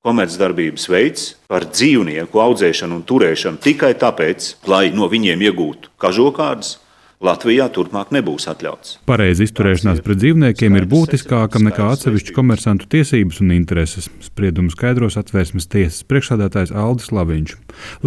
komercdarbības veids, par dzīvnieku audzēšanu un turēšanu tikai tāpēc, lai no viņiem iegūtu kažokādas, Latvijā turpmāk nebūs atļauts. Pareiza izturēšanās pret dzīvniekiem ir būtiskāka nekā atsevišķu komersantu tiesības un intereses, spriedumu skaidros Satversmes tiesas priekšsēdētājs Aldis Laviņš.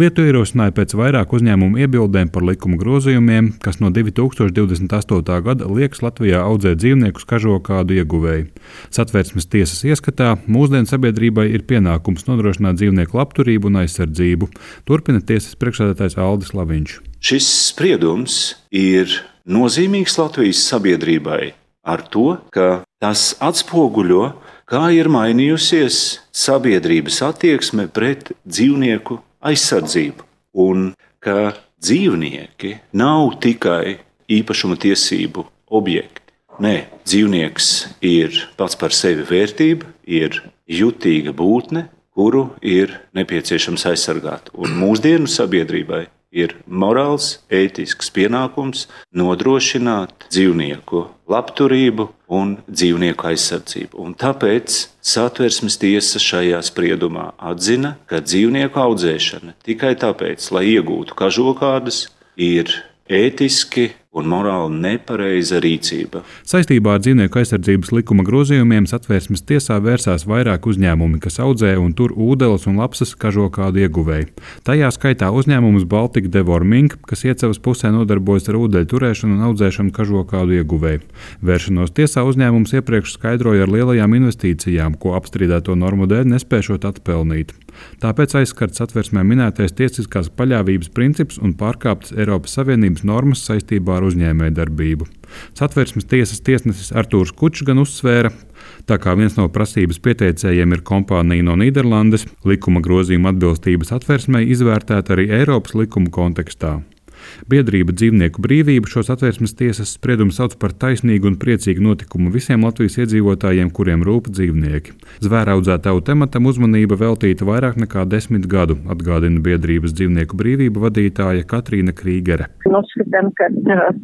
Lietu ierosināja pēc vairāku uzņēmumu iebildēm par likuma grozījumiem, kas no 2028. gada liekas Latvijā audzēt dzīvniekus kažokādu ieguvēju. Satversmes tiesas ieskatā mūsdienu sabiedrībai ir pienākums nodrošināt dzīvnieku labturību un aizsardzību, turpina tiesas priekšsēdētājs Aldis Laviņš. Šis spriedums ir nozīmīgs Latvijas sabiedrībai ar to, ka tas atspoguļo, kā ir mainījusies sabiedrības attieksme pret dzīvnieku aizsardzību, un ka dzīvnieki nav tikai īpašuma tiesību objekti. Nē, dzīvnieks ir pats par sevi vērtība, ir jutīga būtne, kuru ir nepieciešams aizsargāt. Un mūsdienu sabiedrībai ir morāls, ētisks pienākums nodrošināt dzīvnieku labturību un dzīvnieku aizsardzību. Un tāpēc Satversmes tiesa šajā spriedumā atzina, ka dzīvnieku audzēšana tikai tāpēc, lai iegūtu kažokādas, ir ētiski un morāli nepareiza rīcība. Saistībā ar dzīvnieku aizsardzības likuma grozījumiem Satversmes tiesā vērsās vairāk uzņēmumi, kas audzē un tur ūdeles un lapsas kažokādu ieguvēju. Tajā skaitā uzņēmums Baltic Deworming, kas Iecavas pusē nodarbojas ar ūdeļu turēšanu un audzēšanu kažokādu ieguvēju. Vēršanos tiesā uzņēmums iepriekš skaidroja ar lielajām investīcijām, ko apstrīdēto normu dēļ nespēšot atpelnīt. Tāpēc aizskarts Satversmē minētais tiesiskās paļāvības princips un pārkāptas Eiropas Savienības normas saistībā ar uzņēmējdarbību. Satversmes tiesas tiesnesis Artūrs Kučs gan uzsvēra, tā kā viens no prasības pieteicējiem ir kompānija no Nīderlandes, likuma grozījuma atbilstība Satversmei izvērtēta arī Eiropas likuma kontekstā. Biedrība Dzīvnieku brīvība šo Satversmes tiesas spriedumu sauc par taisnīgu un priecīgu notikumu visiem Latvijas iedzīvotājiem, kuriem rūp dzīvnieki. Zvēraudzētāju tematam uzmanība veltīta vairāk nekā 10 gadu, atgādina biedrības Dzīvnieku brīvība vadītāja Katrīna Krīgere. Uzskatām, ka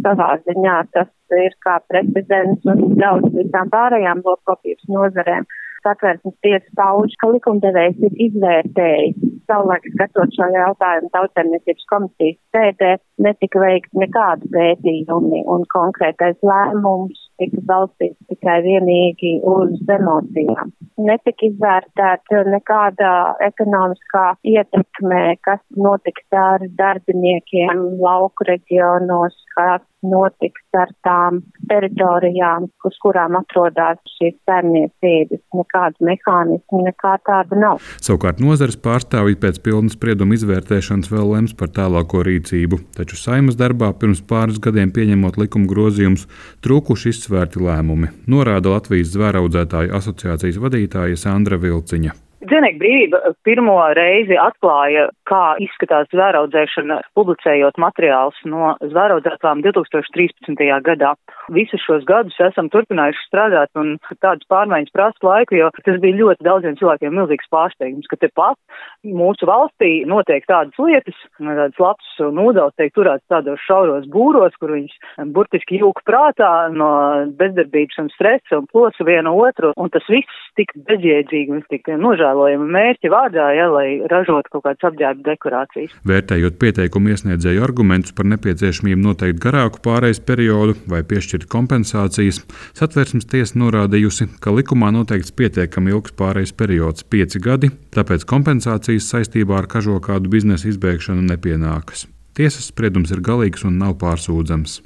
savā ziņā tas ir kā precedents un daudz visām pārējām lopkopības nozarēm. Satversmes tiesa pauž, ka likumdevējs ir izvērtējis savulaik skatot šo jautājumu Tautsaimniecības komisijas sēdē, netika veikts nekādu pētījumi un konkrētais lēmums tika balstīts tikai vienīgi uz emocijām. Netika izvērtēta nekāda ekonomiskā ietekme, kas notiks ar darbiniekiem lauku reģionos, kas notiks ar tām teritorijām, uz kurām atrodas šīs saimniecības. Nekādu mehānismu, nekā tāda nav. Savukārt nozares pārstāvji pēc pilnas sprieduma izvērtēšanas vēl lems par tālāko rīcību, taču Saeimas darbā pirms pāris gadiem pieņemot likuma grozījumus trūkuši izsvērti lēmumi, norāda Latvijas zvēraudzētāju asociācijas vadītāja Sandra Vilciņa. Dzīvnieku brīvība pirmo reizi atklāja, kā izskatās zvēraudzēšana, publicējot materiālus no zvēraudzētām 2013. gadā. Visus šos gadus esam turpinājuši strādāt, un tādas pārmaiņas prasa laiku, jo tas bija ļoti daudziem cilvēkiem milzīgs pārsteigums, ka tepat mūsu valstī notiek tādas lietas, tādas lapsas un ūdeles tiek turētas tādos šauros būros, kur viņas burtiski jūka prātā no bezdarbības un stresa un plosa vienu otru, un tas viss tik bezjēdzīgi un tik nožēlojami mērķi vārdā, lai ražotu kaut kādas apģērba dekorācijas. Vērtējot pieteikumu iesniedzēju argumentus par nepieciešamību noteikt garāku pārejas periodu vai piešķirt kompensācijas, Satversmes tiesa norādījusi, ka likumā noteikts pietiekami ilgs pārejas periods - 5 gadi, tāpēc kompensācijas saistībā ar kažokādu biznesa izbēgšanu nepienākas. Tiesas spriedums ir galīgs un nav pārsūdzams.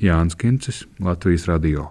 Jānis Kincis, Latvijas radio.